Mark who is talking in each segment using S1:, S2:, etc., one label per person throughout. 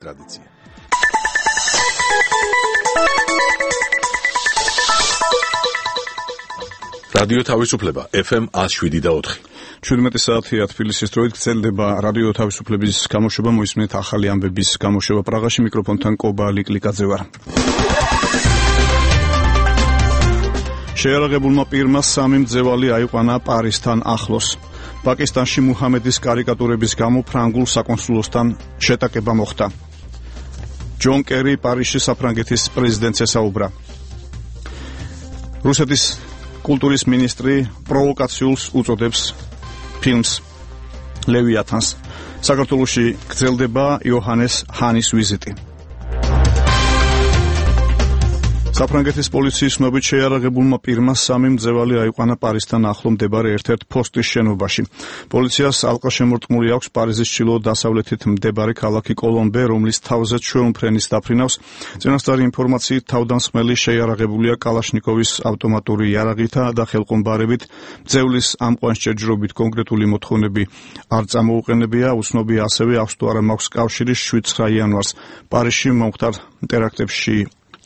S1: ტრადიცია. რადიო თავისუფლება FM 107.4.
S2: 17 საათია თბილისის დროით გრძელდება რადიო თავისუფლების გამოშვება. მოისმენთ ახალი ამბების გამოშვება პრაღაში. მიკროფონთან კობა ლიკლიკაძე ვარ. შეიარაღებულმა პირმა 3 მძევალი აიყვანა პარიზთან ახლოს. პაკისტანში მუჰამედის კარიკატურების გამო ფრანგულ საკონსულოსთან შეტაკება მოხდა. ჯონ კერი პარიზში საფრანგეთის პრეზიდენტს ესაუბრა. რუსეთის კულტურის მინისტრი პროვოკაციულს უწოდებს ფილმს ლევიათანს. საქართველოში გრძელდება იოჰანეს ჰანის ვიზიტი. საფრანგეთის პოლიციის ცნობით შეიარაღებულმა პირმა 3 მძევალი აიყვანა პარიზთან ახლო მდებარე ერთ-ერთ ფოსტის შენობაში. პოლიციას ალყაშემორტყმული აქვს პარიზის ჩრდილო-დასავლეთით მდებარე ქალაქი კოლომბე, რომლის თავზე ჩვეულმფრენის დაფრინავს. წინასწარი ინფორმაციით თავდამსხმელი შეიარაღებულია კალაშნიკოვის ავტომატური იარაღითა და ხელყომბარებით. მძევლის ამყვან შეჯრობით კონკრეტული მოთხოვნები არ წამოუყენებია. უცნობია ასევე აქვს თუ არა მაქვს კავშირი 7-9 იანვარს პარიზში მომხდარ ტერაქტებში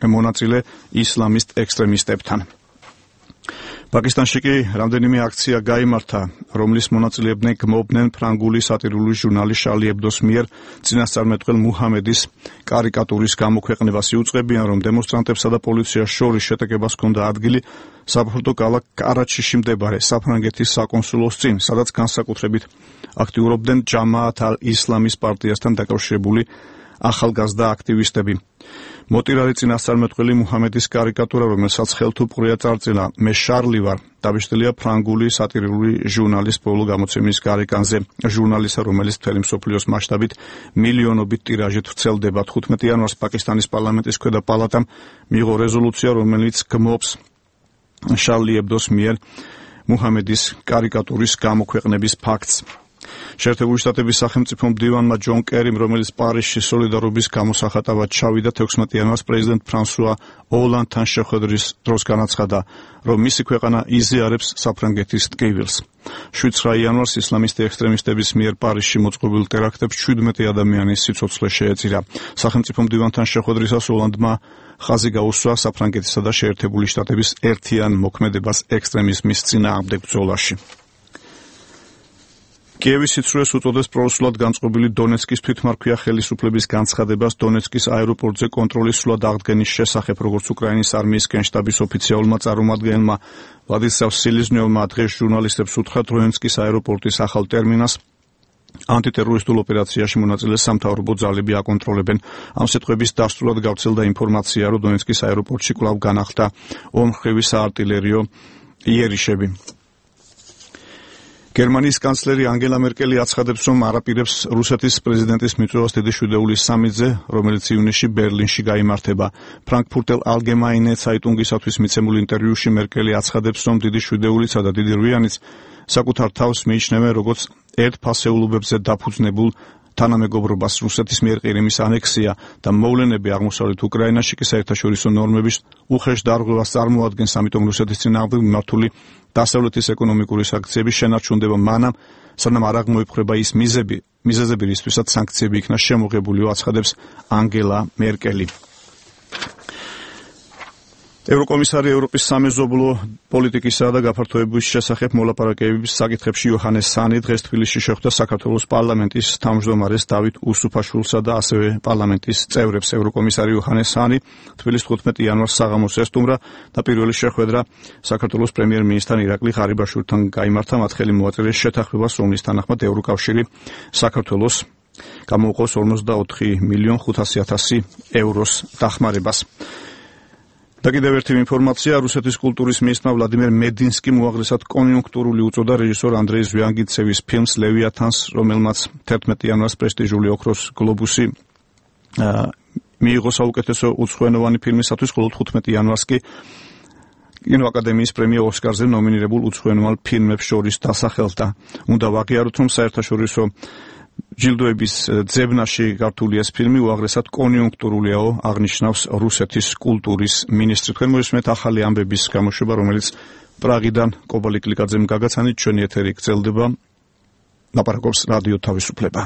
S2: მონაწილე ისლამისტ ექსტრემისტებთან. პაკისტანში კი რამდენიმე აქცია გაიმართა, რომლის მონაწილეებდნენ გმობდნენ ფრანგული სატირული ჟურნალის შარლი ებდოს მიერ წინასწარმეტყველ მუჰამედის კარიკატურის გამოქვეყნებას. იუწყებიან, რომ დემონსტრანტებსა და პოლიციას შორის შეტაკებას ჰქონდა ადგილი საფრთხო ქალაქ კარაჩიში მდებარე საფრანგეთის საკონსულოს წინ, სადაც განსაკუთრებით აქტიურობდნენ ჯამაათ ალ-ისლამის პარტიასთან დაკავშირებული ახალგაზრდა აქტივისტები. მოტირარი წინასწარმეტყველი მუჰამედის კარიკატურა, რომელსაც ხელთუპყრია წარწილა „მე შარლი ვარ“, დაბეჭდილია ფრანგული სატირული ჟურნალის ბოლო გამოცემის გარეკანზე. ჟურნალისა, რომელიც მთელი მსოფლიოს მასშტაბით მილიონობით ტირაჟით ვრცელდება. 15 იანვარს პაკისტანის პარლამენტის ქვედა პალატამ მიიღო რეზოლუცია, რომელიც გმობს შარლი ებდოს მიერ მუჰამედის კარიკატურის გამოქვეყნების ფაქტს. შეერთებული შტატების სახელმწიფო მდივანმა ჯონ კერიმ, რომელიც პარიზში სოლიდარობის გამოსახატავად ჩავიდა 16 იანვარს პრეზიდენტ ფრანსუა ოლანდთან შეხვედრის დროს განაცხადა, რომ მისი ქვეყანა იზიარებს საფრანგეთის ტკივილს. 7-9 იანვარს ისლამისტი ექსტრემისტების მიერ პარიზში მოწყობილ ტერაქტებს 17 ადამიანის სიცოცხლე შეეწირა. სახელმწიფო მდივანთან შეხვედრისას ოლანდმა ხაზი გაუსვა საფრანგეთისა და შეერთებული შტატების ერთიან მოქმედებას ექსტრემიზმის წინააღმდეგ ბრძოლაში. კიევის სიცრუეს უწოდეს პრორუსულად განწყობილი დონეცკის თვითმარქვია ხელისუფლების განცხადებას დონეცკის აეროპორტზე კონტროლის სრულად აღდგენის შესახებ, როგორც უკრაინის არმიის გენშტაბის ოფიციალურმა წარმომადგენელმა ვლადისლავ სილიზნიოვმა დღეს ჟურნალისტებს უთხრა, დონეცკის აეროპორტის ახალ ტერმინალს ანტიტერორისტულ ოპერაციაში მონაწილე სამთავრობო ძალები აკონტროლებენ. ამ სიტყვების დასრულად გავრცელდა ინფორმაცია, რომ დონეცკის აეროპორტში კვლავ განახლდა ორმხრივი საარტილერიო იერიშები. გერმანიის კანცლერი ანგელა მერკელი აცხადებს, რომ არაპირებს რუსეთის პრეზიდენტის მიწვევას დიდი შვიდეულის სამიტზე, რომელიც ივნისში ბერლინში გაიმართება. ფრანკფურტელ ალგემაინე ცაიტუნგისათვის მიცემულ ინტერვიუში მერკელი აცხადებს, რომ დიდი შვიდეულისა და დიდი რვიანიც საკუთარ თავს მიიჩნევენ როგორც ერთფასეულობებზე დაფუძნებულ თანამეგობრობას. რუსეთის მიერ ყირიმის ანექსია და მოვლენები აღმოსავლეთ უკრაინაში კი საერთაშორისო ნორმების უხეშ დარღვევას წარმოადგენს, ამიტომ რუსეთის წინააღმდეგ მიმართული დასავლეთის ეკონომიკური სანქციები შენარჩუნდება მანამ, სანამ არ აღმოიფხვრება ის მიზეზები, რისთვისაც სანქციები იქნა შემოღებულიო, აცხადებს ანგელა მერკელი. ევროკომისარი ევროპის სამეზობლო პოლიტიკისა და გაფართოების შესახებ მოლაპარაკებების საკითხებში იოჰანეს ჰანი დღეს თბილისში შეხვდა საქართველოს პარლამენტის თავმჯდომარეს დავით უსუფაშვილსა და ასევე პარლამენტის წევრებს. ევროკომისარი იოჰანეს ჰანი თბილისს 15 იანვარს საღამოს ესტუმრა და პირველი შეხვედრა საქართველოს პრემიერ-მინისტრთან ირაკლი ღარიბაშვილთან გაიმართა. მათ ხელი მოაწერეს შეთანხმებას, რომლის თანახმად ევროკავშირი საქართველოს გამოუყოს 44,500,000 ევროს დახმარებას. და კიდევ ერთი ინფორმაცია, რუსეთის კულტურის მინისტრმა ვლადიმერ მედინსკიმ უაღრესად კონიუნქტურული უწოდა რეჟისორ ანდრეი ზვიანგინცევის ფილმს ლევიათანს, რომელმაც 11 იანვარს პრესტიჟული ოქროს გლობუსი მიიღო საუკეთესო უცხოენოვანი ფილმისათვის, ხოლო 15 იანვარს კი კინოაკადემიის პრემია ოსკარზე ნომინირებულ უცხოენოვან ფილმებს შორის დასახელდა. უნდა ვაღიაროთ, რომ საერთაშორისო ჯილდოების ძებნაში გართული ეს ფილმი უაღრესად კონიუნქტურულიაო, აღნიშნავს რუსეთის კულტურის მინისტრი. თქვენ მოისმენთ ახალი ამბების გამოშვება, რომელიც პრაღიდან კობა ლიკლიკაძემ გაგაცანით. ჩვენი ეთერი გრძელდება. ლაპარაკობს რადიო თავისუფლება.